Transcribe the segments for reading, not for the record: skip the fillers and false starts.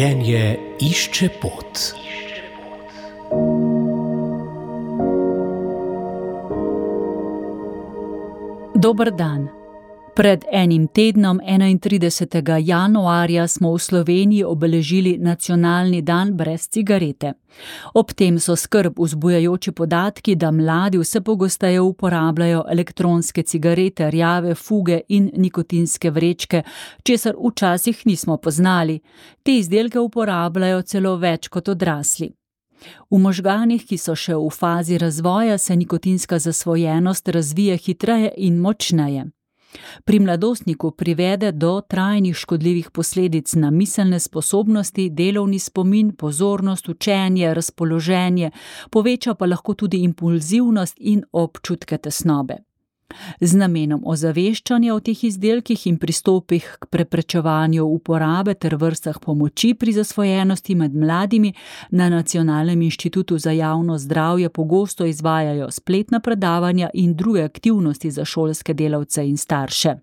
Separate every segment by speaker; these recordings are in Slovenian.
Speaker 1: Življenje išče pot.
Speaker 2: Dober dan. Pred enim tednom, 31. januarja, smo v Sloveniji obeležili nacionalni dan brez cigarete. Ob tem so skrb vzbujajoči podatki, da mladi vse pogosteje uporabljajo elektronske cigarete, rjave fuge in nikotinske vrečke, česar včasih nismo poznali. Te izdelke uporabljajo celo več kot odrasli. V možganih, ki so še v fazi razvoja, se nikotinska zasvojenost razvije hitreje in močneje. Pri mladostniku privede do trajnih škodljivih posledic na miselne sposobnosti, delovni spomin, pozornost, učenje, razpoloženje, poveča pa lahko tudi impulzivnost in občutke tesnobe. Z namenom ozaveščanja o teh izdelkih in pristopih k preprečevanju uporabe ter vrstah pomoči pri zasvojenosti med mladimi na Nacionalnem inštitutu za javno zdravje pogosto izvajajo spletna predavanja in druge aktivnosti za šolske delavce in starše.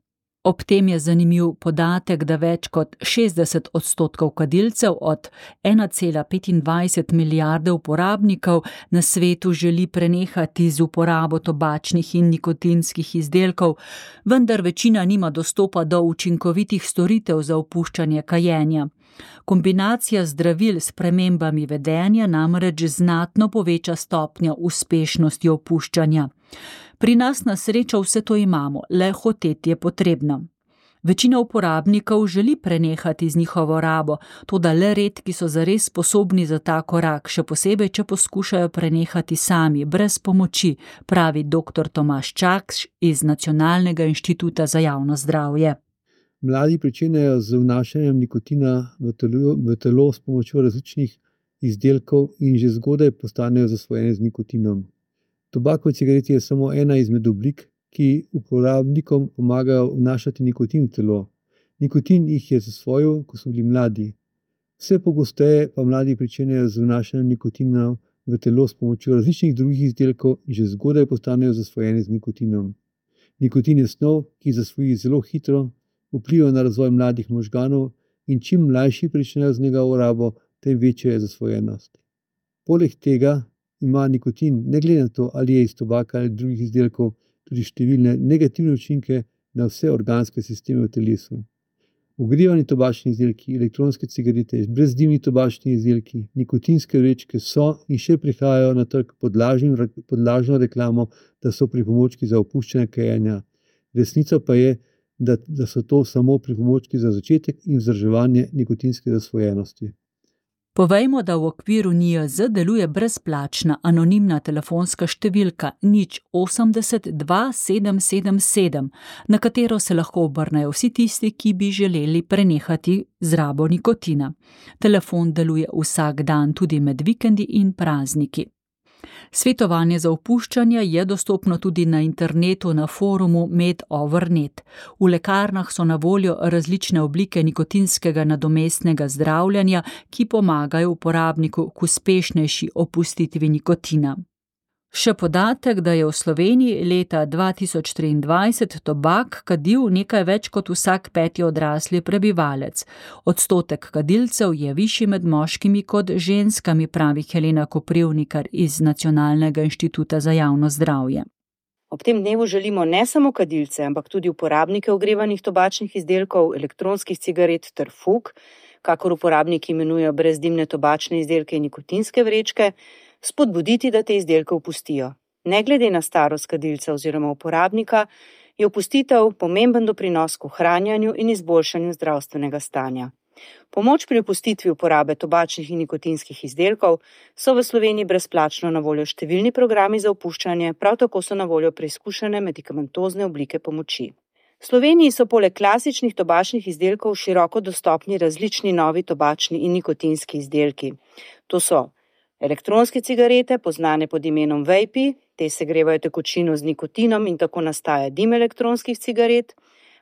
Speaker 2: Ob tem je zanimiv podatek, da več kot 60% kadilcev od 1,25 milijarde uporabnikov na svetu želi prenehati z uporabo tobačnih in nikotinskih izdelkov, vendar večina nima dostopa do učinkovitih storitev za opuščanje kajenja. Kombinacija zdravil s spremembami vedenja namreč znatno poveča stopnjo uspešnosti opuščanja. Pri nas na srečo vse to imamo, le hoteti je potrebno. Večina uporabnikov želi prenehati z njihovo rabo, toda le redki so zares sposobni za ta korak, še posebej, če poskušajo prenehati sami, brez pomoči, pravi dr. Tomaž Čakš iz Nacionalnega inštituta za javno zdravje.
Speaker 3: Mladi pričenjajo z vnašanjem nikotina v telo s pomočjo različnih izdelkov in že zgodaj postanejo zasvojeni z nikotinom. Tobakove cigarete je samo ena izmed oblik, ki uporabnikom pomagajo vnašati nikotin v telo. Nikotin jih je zasvojil, ko so bili mladi. Vse pogosteje pa mladi pričenjajo z vnašanjem nikotina v telo s pomočjo različnih drugih izdelkov in že zgodaj postanejo zasvojeni z nikotinom. Nikotin je snov, ki zasvoji zelo hitro, vpliva na razvoj mladih možganov in čim mlajši pričnejo z njegovo rabo, tem večja je zasvojenost. Poleg tega ima nikotin, ne glede na to, ali je iz tobaka ali drugih izdelkov, tudi številne negativne učinke na vse organske sisteme v telesu. Ogrevani tobačni izdelki, elektronske cigarete, brezdimni tobačni izdelki, nikotinske vrečke so in še prihajajo na trg pod lažno reklamo, da so pripomočki za opuščanje kajenja. Resnica pa je, da so to samo pripomočki za začetek in vzdrževanje nikotinske zasvojenosti.
Speaker 2: Povejmo, da v okviru NIJZ deluje brezplačna anonimna telefonska številka 080 2777, na katero se lahko obrnejo vsi tisti, ki bi želeli prenehati z rabo nikotina. Telefon deluje vsak dan, tudi med vikendi in prazniki. Svetovanje za opuščanje je dostopno tudi na internetu na forumu MedOverNet. V lekarnah so na voljo različne oblike nikotinskega nadomestnega zdravljenja, ki pomagajo uporabniku k uspešnejši opustitvi nikotina. Še podatek, da je v Sloveniji leta 2023 tobak kadil nekaj več kot vsak 5. odrasli prebivalec. Odstotek kadilcev je višji med moškimi kot ženskami, pravi Helena Koprivnikar iz Nacionalnega inštituta za javno zdravje.
Speaker 4: Ob tem dnevu želimo ne samo kadilce, ampak tudi uporabnike ogrevanih tobačnih izdelkov, elektronskih cigaret ter fug, kakor uporabniki imenujejo brezdimne tobačne izdelke in nikotinske vrečke, spodbuditi, da te izdelke opustijo. Ne glede na starost kadilca oziroma uporabnika, je opustitev pomemben doprinos k ohranjanju in izboljšanju zdravstvenega stanja. Pomoč pri opustitvi uporabe tobačnih in nikotinskih izdelkov so v Sloveniji brezplačno na voljo številni programi za opuščanje, prav tako so na voljo preizkušene medikamentozne oblike pomoči. V Sloveniji so poleg klasičnih tobačnih izdelkov široko dostopni različni novi tobačni in nikotinski izdelki. To so elektronske cigarete, poznane pod imenom vapi, te segrevajo tekočino z nikotinom in tako nastaja dim elektronskih cigaret,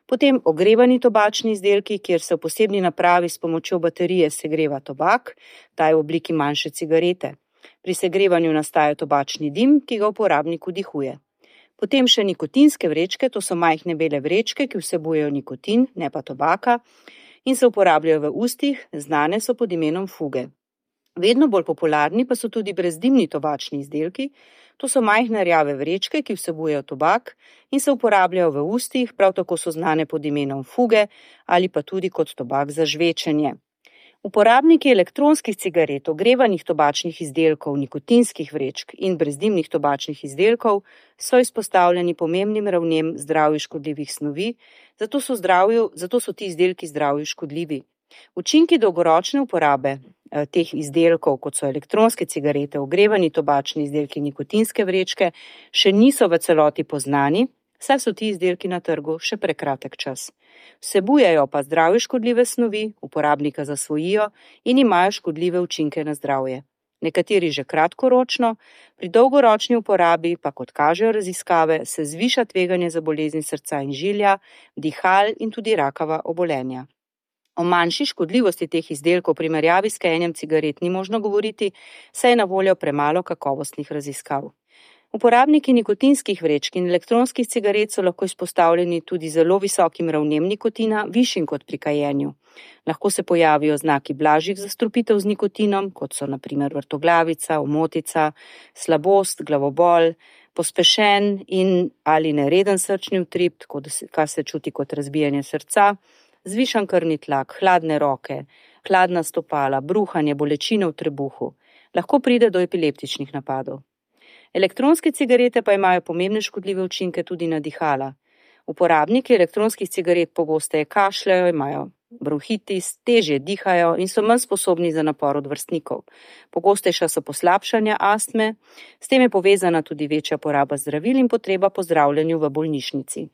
Speaker 4: potem ogrevani tobačni izdelki, kjer se v posebni napravi s pomočjo baterije segreva tobak, ta je v obliki manjše cigarete. Pri segrevanju nastaja tobačni dim, ki ga uporabnik vdihuje. Potem še nikotinske vrečke, to so majhne bele vrečke, ki vsebujejo nikotin, ne pa tobaka, in se uporabljajo v ustih, znane so pod imenom fuge. Vedno bolj popularni pa so tudi brezdimni tobačni izdelki, to so majhne rjave vrečke, ki vsebujejo tobak in se uporabljajo v ustih, prav tako so znane pod imenom fuge ali pa tudi kot tobak za žvečenje. Uporabniki elektronskih cigaret, ogrevanih tobačnih izdelkov, nikotinskih vrečk in brezdimnih tobačnih izdelkov so izpostavljeni pomembnim ravnem zdravju škodljivih snovi, zato so ti izdelki zdravju škodljivi. Učinki dolgoročne uporabe teh izdelkov, kot so elektronske cigarete, ogrevani tobačni izdelki, nikotinske vrečke, še niso v celoti poznani, saj so ti izdelki na trgu še prekratek čas. Vsebujejo pa zdravju škodljive snovi, uporabnika zasvojijo in imajo škodljive učinke na zdravje. Nekateri že kratkoročno, pri dolgoročni uporabi pa, kot kažejo raziskave, se zviša tveganje za bolezni srca in žilja, dihal in tudi rakava obolenja. O manjši škodljivosti teh izdelkov v primerjavi s kajenjem cigaret ni možno govoriti, saj je na voljo premalo kakovostnih raziskav. Uporabniki nikotinskih vrečk in elektronskih cigaret so lahko izpostavljeni tudi zelo visokim ravnem nikotina, višjim kot pri kajenju. Lahko se pojavijo znaki blažjih zastrupitev z nikotinom, kot so na primer vrtoglavica, omotica, slabost, glavobol, pospešen in ali nereden srčni utrip, kar se čuti kot razbijanje srca, zvišan krvni tlak, hladne roke, hladna stopala, bruhanje, bolečine v trebuhu. Lahko pride do epileptičnih napadov. Elektronske cigarete pa imajo pomembne škodljive učinke tudi na dihala. Uporabniki elektronskih cigaret pogosteje kašljajo, imajo bronhitis, težje dihajo in so manj sposobni za napor od vrstnikov. Pogostejša so poslabšanja astme, s tem je povezana tudi večja poraba zdravil in potreba po zdravljenju v bolnišnici.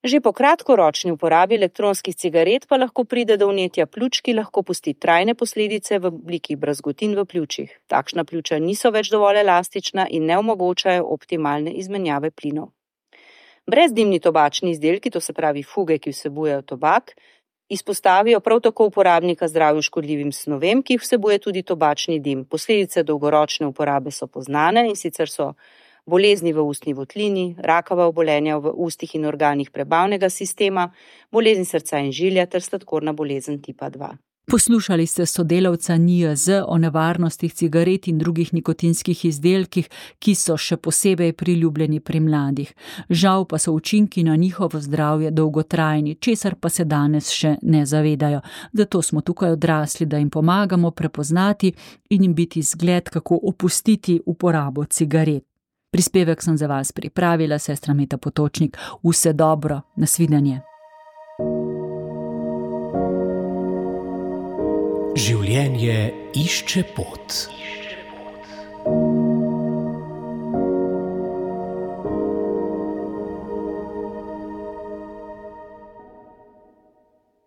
Speaker 4: Že po kratkoročni uporabi elektronskih cigaret pa lahko pride do vnetja pljuč, ki lahko pusti trajne posledice v obliki brazgotin v pljučih. Takšna pljuča niso več dovolj elastična in ne omogočajo optimalne izmenjave plinov. Brezdimni tobačni izdelki, to se pravi fuge, ki vsebujejo tobak, izpostavijo prav tako uporabnika zdravju škodljivim snovem, ki vsebuje tudi tobačni dim. Posledice dolgoročne uporabe so poznane in sicer so bolezni v ustni votlini, rakava obolenja v ustih in organih prebavnega sistema, bolezni srca in žilja ter sladkorna bolezen tipa 2.
Speaker 2: Poslušali ste sodelavca NIJZ o nevarnostih cigaret in drugih nikotinskih izdelkih, ki so še posebej priljubljeni pri mladih. Žal pa so učinki na njihovo zdravje dolgotrajni, česar pa se danes še ne zavedajo. Zato smo tukaj odrasli, da jim pomagamo prepoznati in jim biti zgled, kako opustiti uporabo cigaret. Prispevek sem za vas pripravila, sestra Meta Potočnik. Vse dobro, nasvidenje.
Speaker 1: Življenje išče pot.